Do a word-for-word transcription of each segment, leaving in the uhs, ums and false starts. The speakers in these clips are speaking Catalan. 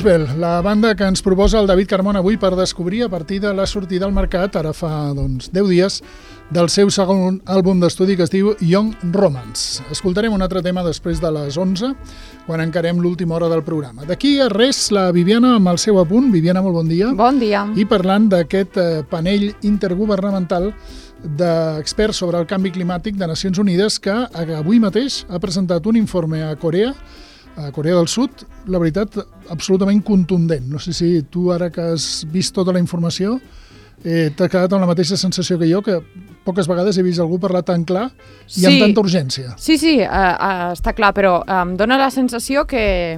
Gospel, la banda que ens proposa el David Carmona avui per descobrir a partir de la sortida al mercat, ara fa doncs, deu dies, del seu segon àlbum d'estudi que es diu Young Romance. Escoltarem un altre tema després de les onze, quan encarem l'última hora del programa. D'aquí a res, la Viviana amb el seu apunt. Viviana, molt bon dia. Bon dia. I parlant d'aquest eh, panell intergovernamental d'experts sobre el canvi climàtic de Nacions Unides que avui mateix ha presentat un informe a Corea, a Corea del Sud, la veritat, absolutament contundent. No sé si tu, ara que has vist tota la informació, eh, t'ha quedat amb la mateixa sensació que jo, que poques vegades he vist algú parlar tan clar i sí, amb tanta urgència. Sí, sí, uh, uh, està clar, però em dóna la sensació que,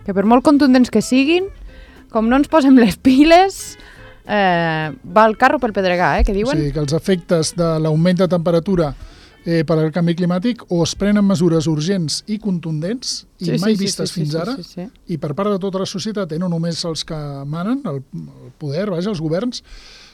que per molt contundents que siguin, com no ens posem les piles, eh, va el carro pel pedregar, eh, que diuen? Sí, que els efectes de l'augment de temperatura Eh, per al canvi climàtic o es prenen mesures urgents i contundents i sí, mai sí, vistes sí, sí, fins sí, ara sí, sí, sí. i per part de tota la societat, eh, no només els que manen, el, el poder, vaja, els governs,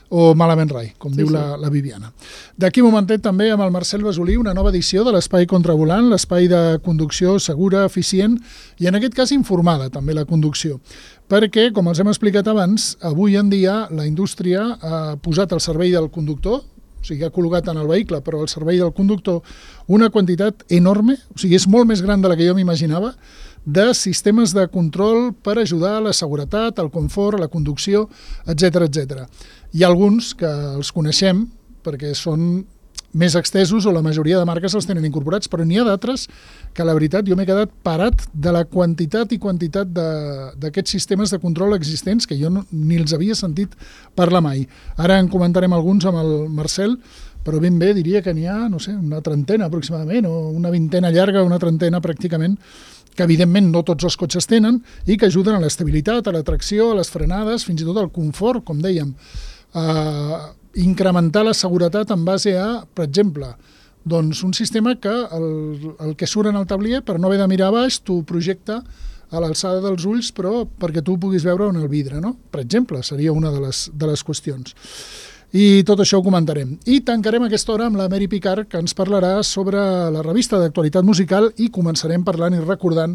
o malament rai, com sí, diu sí. La, la Viviana. D'aquí un momentet també amb el Marcel Besolí, una nova edició de l'Espai Contravolant, l'espai de conducció segura, eficient i en aquest cas informada també la conducció. Perquè, com els hem explicat abans, avui en dia la indústria ha posat al servei del conductor, o sigui, ha col·locat en el vehicle, però al servei del conductor, una quantitat enorme, o sigui, és molt més gran de la que jo m'imaginava, de sistemes de control per ajudar a la seguretat, al confort, a la conducció, etcètera, etcètera. Hi ha alguns que els coneixem perquè són més extesos o la majoria de marques els tenen incorporats, però n'hi ha d'altres que la veritat jo m'he quedat parat de la quantitat i quantitat d'aquests sistemes de control existents que jo no, ni els havia sentit parlar mai. Ara en comentarem alguns amb el Marcel, però ben bé diria que n'hi ha, no sé, una trentena aproximadament, o una vintena llarga, una trentena pràcticament, que evidentment no tots els cotxes tenen i que ajuden a l'estabilitat, a la tracció, a les frenades, fins i tot al confort, com dèiem. Uh, incrementar la seguretat en base a, per exemple, doncs un sistema que el, el que surt en el tablier, per no haver de mirar baix, t'ho projecta a l'alçada dels ulls, però perquè tu puguis veure on el vidre, no? Per exemple, seria una de les, de les qüestions. I tot això ho comentarem. I tancarem aquesta hora amb la Mary Picard, que ens parlarà sobre la revista d'actualitat musical i començarem parlant i recordant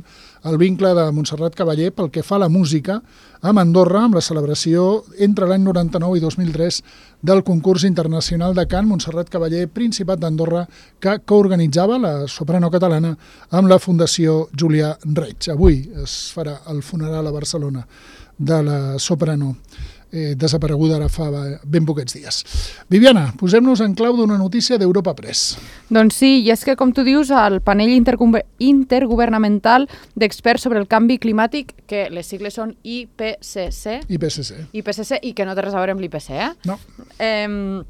el vincle de Montserrat Caballé pel que fa a la música amb Andorra, amb la celebració entre l'any noranta-nou i dos mil tres del concurs internacional de cant Montserrat Caballé, Principat d'Andorra, que coorganitzava la soprano catalana amb la Fundació Julià Reig. Avui es farà el funeral a Barcelona de la soprano Eh, desapareguda ara fa ben poquets dies. Viviana, posem-nos en clau d'una notícia d'Europa Press. Doncs sí, i és que, com tu dius, el panell intergovernamental d'experts sobre el canvi climàtic, que les sigles són I P C C, I P C C. I P C C, i que no té res a veure amb l'I P C, eh? No. Eh,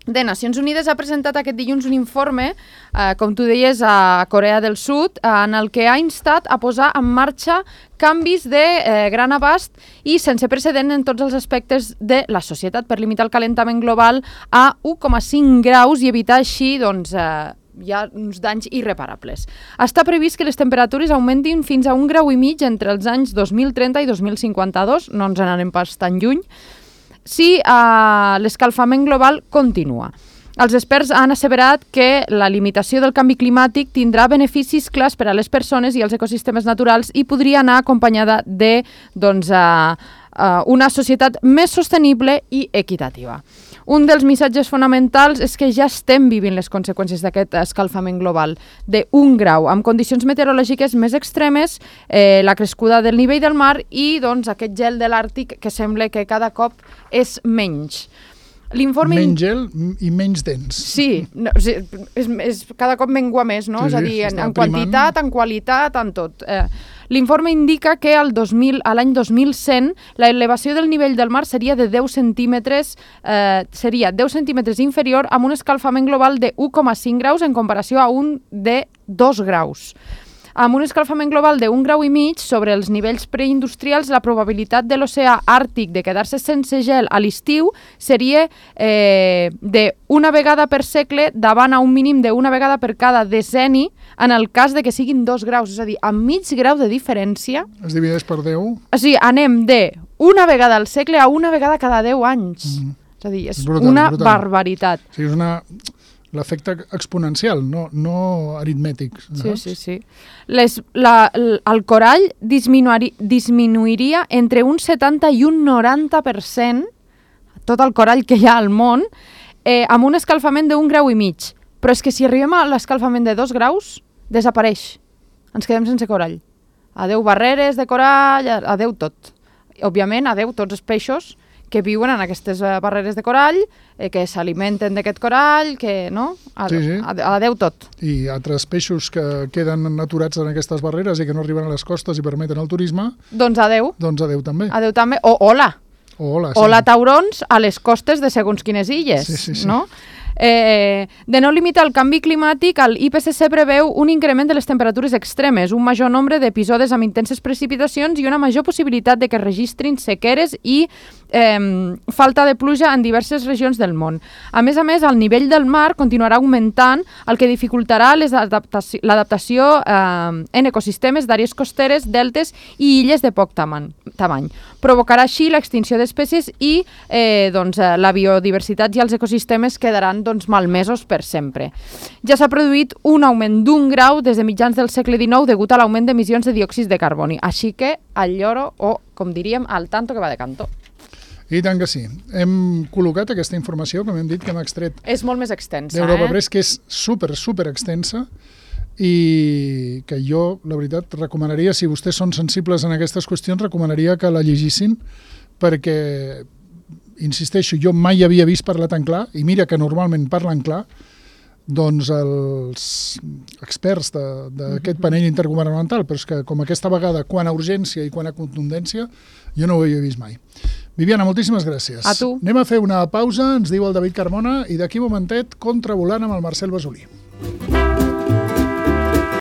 de Nacions Unides ha presentat aquest dilluns un informe, eh, com tu deies, a Corea del Sud, en el que ha instat a posar en marxa canvis de eh, gran abast i sense precedent en tots els aspectes de la societat per limitar el calentament global a u coma cinc graus i evitar així doncs, eh, hi ha uns danys irreparables. Està previst que les temperatures augmentin fins a un grau i mig entre els anys dos mil trenta i dos mil cinquanta-dos, no ens n'anem pas tan lluny, si eh, l'escalfament global continua. Els experts han asseverat que la limitació del canvi climàtic tindrà beneficis clars per a les persones i els ecosistemes naturals i podria anar acompanyada de doncs, uh, uh, una societat més sostenible i equitativa. Un dels missatges fonamentals és que ja estem vivint les conseqüències d'aquest escalfament global d'un grau, amb condicions meteorològiques més extremes, eh, la crescuda del nivell del mar i doncs, aquest gel de l'Àrtic que sembla que cada cop és menys. Menys gel i menys dens. Sí, no, és, és, és, cada cop mengua més, no? Sí, és a dir, en, en primant. quantitat, en qualitat, en tot. Eh, L'informe indica que al dos mil, a l'any dos mil cent la elevació del nivell del mar seria de deu centímetres, eh, seria deu centímetres inferior amb un escalfament global de u coma cinc graus en comparació a un de dos graus. Amb un escalfament global d'un grau i mig sobre els nivells preindustrials, la probabilitat de l'oceà àrtic de quedar-se sense gel a l'estiu seria eh, d'una vegada per segle davant a un mínim d'una vegada per cada decenni en el cas de que siguin dos graus. És a dir, amb mig grau de diferència... Es divideix per deu. O sigui, anem de una vegada al segle a una vegada cada deu anys. Mm. És a dir, és brutal, una brutal. barbaritat. O sigui, és una... l'efecte exponencial, no, no aritmètic. Sí, sí, sí. Les, la, el corall disminuiri, disminuiria entre un setanta i un noranta per cent, tot el corall que hi ha al món, eh, amb un escalfament d'un grau i mig. Però és que si arribem a l'escalfament de dos graus, desapareix. Ens quedem sense corall. Adeu barreres de corall, adeu tot. Òbviament, adeu tots els peixos que viuen en aquestes barreres de corall, eh, que s'alimenten d'aquest corall, que, no? Adeu, sí, sí. Adeu tot. I altres peixos que queden aturats en aquestes barreres i que no arriben a les costes i permeten el turisme... Doncs adeu. Doncs adeu també. Adeu també. O hola. O hola, sí. Hola taurons a les costes de segons quines illes, sí, sí, sí. no? Eh, de no limitar el canvi climàtic, el I P C C preveu un increment de les temperatures extremes, un major nombre d'episodis amb intenses precipitacions i una major possibilitat de que es registrin sequeres i eh, falta de pluja en diverses regions del món. A més a més, el nivell del mar continuarà augmentant, el que dificultarà l'adaptació eh, en ecosistemes d'àrees costeres, deltes i illes de poc tamany. tamany. Provocarà així l'extinció d'espècies i eh, doncs, la biodiversitat i els ecosistemes quedaran doncs, malmesos per sempre. Ja s'ha produït un augment d'un grau des de mitjans del segle dinou degut a l'augment d'emissions de diòxid de carboni. Així que al lloro, o com diríem, al tanto que va de canto. I tant que sí. Hem col·locat aquesta informació, com hem dit, que hem extret. És molt més extensa, d'Europa eh? Press, que és super, super extensa i que jo, la veritat, recomanaria, si vostès són sensibles en aquestes qüestions, recomanaria que la llegissin perquè, insisteixo, jo mai havia vist parlar tan clar, i mira que normalment parlen clar, doncs els experts d'aquest panell intergovernamental, però és que com aquesta vegada, quan a urgència i quan a contundència, jo no ho havia vist mai. Viviana, moltíssimes gràcies. A tu. Anem a fer una pausa, ens diu el David Carmona, i d'aquí un momentet, contravolant amb el Marcel Besolí.